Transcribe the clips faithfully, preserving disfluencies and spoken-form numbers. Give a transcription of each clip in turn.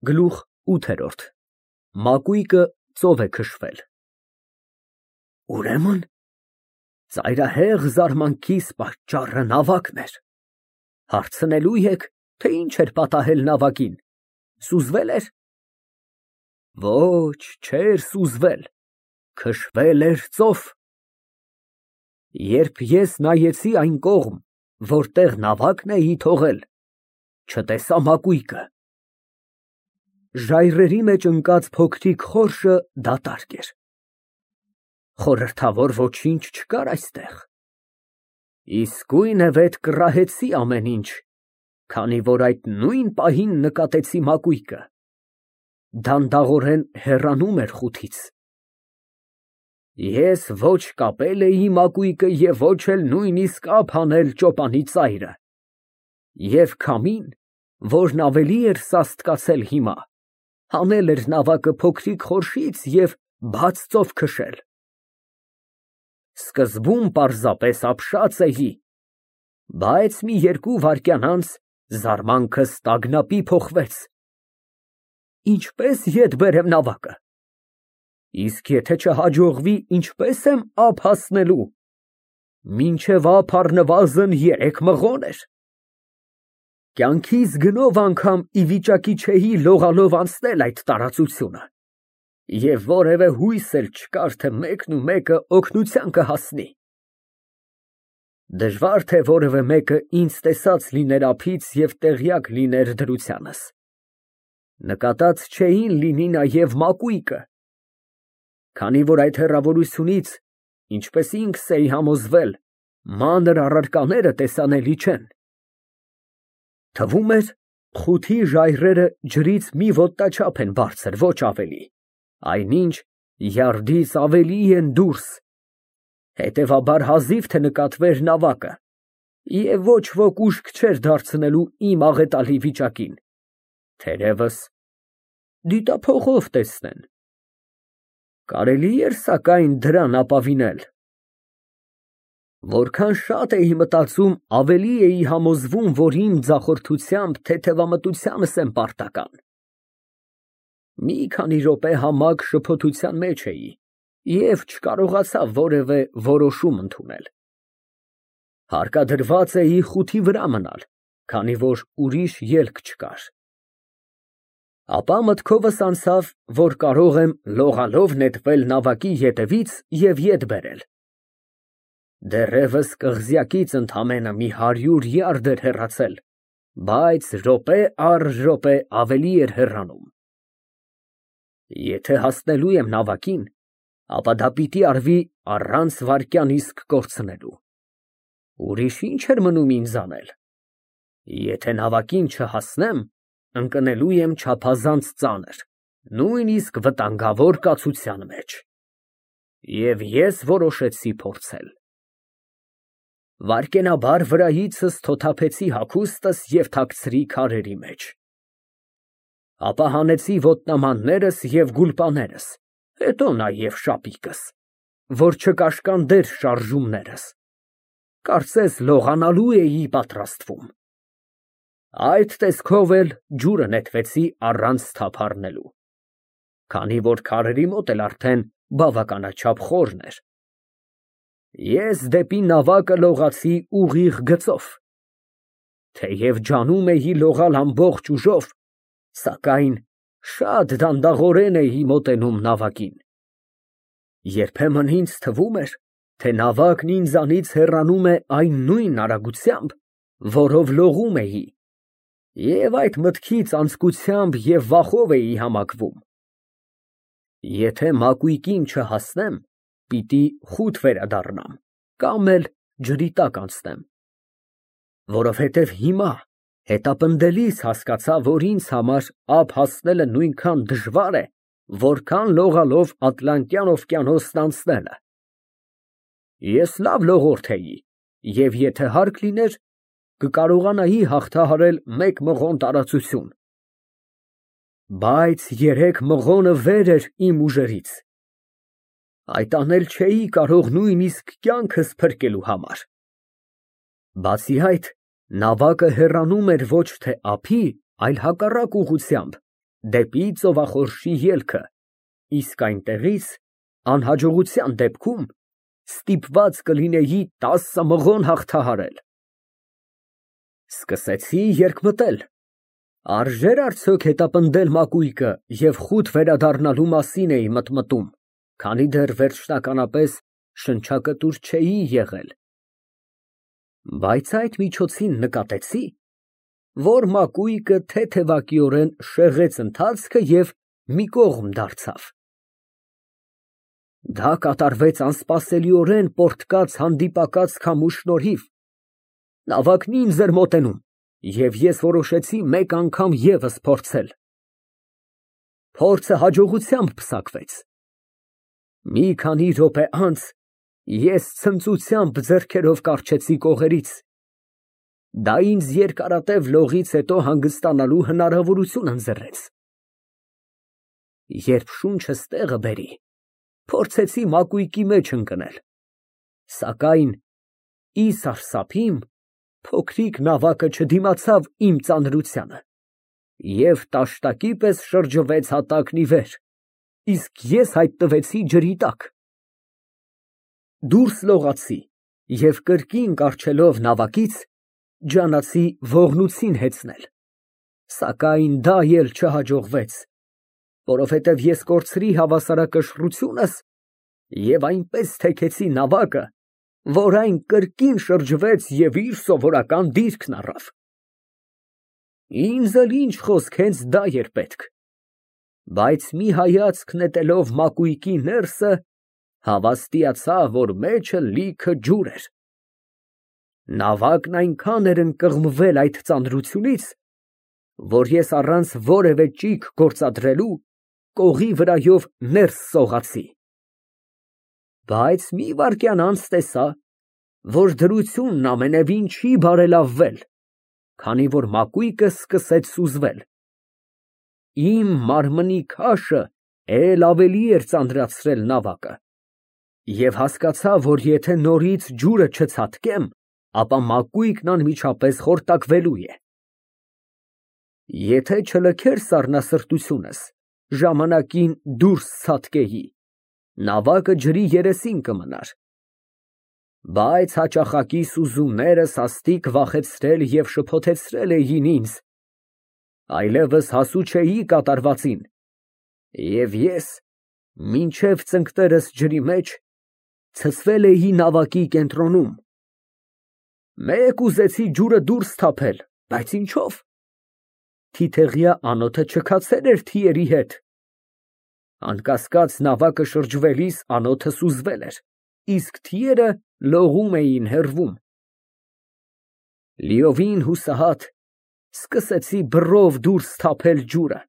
Գլուխ ութ։ Մակույկը ծով է քշվել։ Ուրեմն ծայրահեղ զարմանքիս պատճառը նավակն էր։ Հարցնելու եք, թե ինչ էր պատահել նավակին, սուզվե՞լ էր։ Ոչ, չէր սուզվել, քշվել էր ծով։ Երբ ես նայեցի այն կողմ, որտեղ նավակն էի թողել, չտեսա մակույկը։ Ժայռերի մեջ ընկած փոքրիկ խորշը դատարկ էր։ Խորհրդավոր ոչինչ չկար այստեղ։ Իսկույն է վետ կռահեցի ամեն ինչ, քանի որ այդ նույն պահին նկատեցի մակույկը։ Դանդաղորեն հեռանում էր խութից։ Ես ոչ կապել էի մակույկը և ոչ էլ նույնիսկ ափ հանել ճոպանի ծայրը։ Եվ քամին, որն ավելի էր սաստկացել հիմա, հանել էր նավակը փոքրիկ խորշից և բաց ծով քշել։ Սկզբում պարզապես ապշած էի, բայց մի երկու վայրկյան անց զարմանքս տագնապի փոխվեց։ Ինչպե՞ս ետ բերեմ նավակը։ Իսկ եթե չհաջողվի, ինչպե՞ս եմ ափ հասնելու։ Մինչև ափ առնվազն երեք մղոն էր։ Կյանքիս գնով անգամ ի վիճակի չէի լողալով անցնել այդ տարածությունը, և որևէ հույս էլ չկար, թե մեկնումեկը օգնության կհասնի։ Դժվար թե որևէ մեկը ինձ տեսած լիներ ափից և տեղյակ լիներ դրությանս։ Նկատած չէին լինի նաև մակույկը, քանի որ այդ հեռավորությունից, ինչպես ինքս էի համոզվել, մանր առարկաները տեսանելի չեն։ Թվում էր, խութի ժայռերը ջրից մի ոտնաչափ են բարձր, ոչ ավելի, այնինչ յարդից ավելի են դուրս, հետևաբար հազիվ թե նկատվեր նավակը, և ոչ ոք ուշք չէր դարձնելու իմ աղետալի վիճակին, թերևս դիտափողով տեսնեն։ Կարելի էր սակայն դրան ապավինել։ Որքան շատ էի մտածում, ավելի էի համոզվում, որ իմ ձախորդությամբ թեթևամտությանս եմ պարտական։ Մի քանի րոպե համակ շփոթության մեջ էի և չկարողացա որևէ որոշում ընդունել։ Հարկադրված էի խութի վրա մնալ, քանի որ ուրիշ ելք չկար։ Ապա մտքովս անցավ, որ կարող եմ լողալով նետվել նավակի ետևից և ետ բերել։ Դեռևս կղզյակից ընդամենը մի հարյուր յարդ էր հեռացել, բայց րոպե առ րոպե ավելի էր հեռանում։ Եթե հասնելու եմ նավակին, ապա դա պիտի արվի առանց վայրկյան իսկ կորցնելու։ Ուրիշ ի՞նչ էր մնում ինձ անել։ Եթե նավակին չհասնեմ, ընկնելու եմ չափազանց ծանր, նույնիսկ վտանգավոր կացության մեջ։ Եվ ես որոշեցի փորձել։ Վայրկենաբար վրայիցս թոթափեցի հագուստս և թաքցրի քարերի մեջ։ Ապա հանեցի ոտնամաններս և գուլպաներս, հետո նաև շապիկս, որ չկաշկանդեր շարժումներս, կարծես լողանալու էի պատրաստվում։ Այդ տեսքով էլ ջուրը նետվեցի առանց թափ առնելու, քանի որ քարերի մոտ էլ արդեն բավականաչափ խորն էր։ Ես դեպի նավակը լողացի ուղիղ գծով։ Թեև ջանում էի լողալ ամբողջ ուժով, սակայն շատ դանդաղորեն էի մոտենում նավակին։ Երբեմն ինձ թվում էր, թե նավակն ինձանից հեռանում է այն նույն արագությամբ, որով լողում էի, և այդ մտքից անձկությամբ և վախով էի համակվում։ Եթե մակույկին չհասնեմ, պիտի խուտ վերադառնամ, կամ էլ ջրի տակ անցնեմ, որովհետև հիմա հետապնդելիս հասկացա, որ ինձ համար ափ հասնելը նույնքան դժվար է, որքան լողալով Ատլանտյան օվկիանոսն անցնելը։ Ես լավ լողորդ էի, և եթե հարկ լիներ, կկարողանայի հաղթահարել մեկ մղոն տարածություն։ Բայց երեք մղոնը վեր էր իմ ուժերից։ Այդ անել չէի կարող նույնիսկ կյանքս փրկելու համար։ Բացի այդ, նավակը հեռանում էր ոչ թե ափի, այլ հակառակ ուղղությամբ, դեպի ծովախորշի ելքը, իսկ այնտեղից, անհաջողության դեպքում, ստիպված կլինեի տասը մղոն հաղթահարել։ Սկսեցի երկմտել. արժե՞ր արդյոք հետապնդել մակույկը և խուտ վերադառնալու մասին էի մտմտում, քանի դեռ վերջնականապես շնչակտուր չէի եղել։ Բայց այդ միջոցին նկատեցի, որ մակույկը թեթևակիորեն շեղեց ընթացքը և մի կողմ դարձավ։ Դա կատարվեց անսպասելիորեն պոռթկաց հանդիպակաց քամու շնորհիվ, նավակն ինձ էր մոտենում, և ես որոշեցի մեկ անգամ ևս փորձել։ Փորձը հաջողությամբ պսակվեց։ Մի քանի րոպե անց ես ցնծությամբ ձեռքերով կառչեցի կողերից։ Դա ինձ երկարատև լողից հետո հանգստանալու հնարավորություն ընձեռեց։ Երբ շունչս տեղը բերի, փորձեցի մակույկի մեջ ընկնել, սակայն, ի սարսափիմ, փոքրիկ նավակը չդիմացավ իմ ծանրությանը և տաշտակի պես շրջվեց հատակն ի վեր, իսկ ես հայտնվեցի ջրի տակ։ Դուրս լողացի և կրկին կառչելով նավակից, ջանացի ողնույթին հեծնել, սակայն դա էլ չհաջողվեց, որովհետև ես կորցրի հավասարակշռությունս և այնպես թեքեցի նավակը, որ այն կրկին շրջվեց և իր սովորական դիրքն առավ։ Ինձ էլ ինչ խոսք, հենց դա էր պետք, բայց մի հայացք նետելով մակույկի ներսը, հավաստիացա, որ մեջը լիքը ջուր էր։ Նավակն այնքան էր ընկղմվել այդ ծանրությունից, որ ես առանց որևէ ճիգ գործադրելու կողի վրայով ներս սողացի։ Բայց մի վայրկյան անց տեսա, որ դրությունն ամենևին չի բարելավվել, քանի որ մակույկը սկսեց սուզվել։ Իմ մարմնի քաշը էլ ավելի էր ծանրացրել նավակը, և հասկացա, որ եթե նորից ջուրը չցատկեմ, ապա մակույկն անմիջապես խորտակվելու է։ Եթե չլքեր սառնասրտությունս, ժամանակին դուրս ցատկեի, նավակը ջրի երեսին կմնար։ Բայց հաճախակի սուզումները սաստիկ վախեցրել և շփոթեցրել էին ինձ, այլևս հասու չէի կատարվածին, և ես, մինչև ծնկներս ջրի մեջ, ցցվել էի նավակի կենտրոնում։ Մեկ ուզեցի ջուրը դուրս թափել, բայց ինչո՞վ։ Թիթեղյա անոթը չքացել էր թիերի հետ։ Անկասկած, նավակը շրջվելիս անոթը սուզվել էր, իսկ թիերը լողում էին հեռվում։ Լիովին հուսահատ, սկսեցի բռով դուրս թափել ջուրը,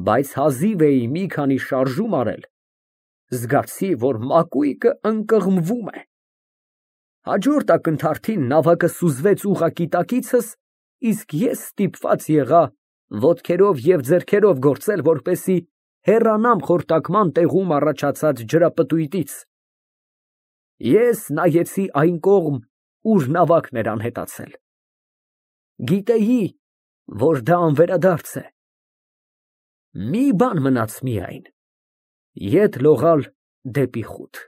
բայց հազիվ էի մի քանի շարժում արել, զգացի, որ մակույկը ընկղմվում է։ Հաջորդ ակնթարթին նավակը սուզվեց ուղղակի տակիցս, իսկ ես ստիպված եղա ոտքերով և ձեռքերով գործել, որպեսզի հեռանամ խորտակման տեղում առաջացած ջրապտույտից։ Ես նայեցի այն կողմ, ուր նավակն էր անհետացել։ Գիտեի, որ դա անվերադարձ է։ Մի բան մնաց միայն՝ ետ լողալ դեպի խուտ։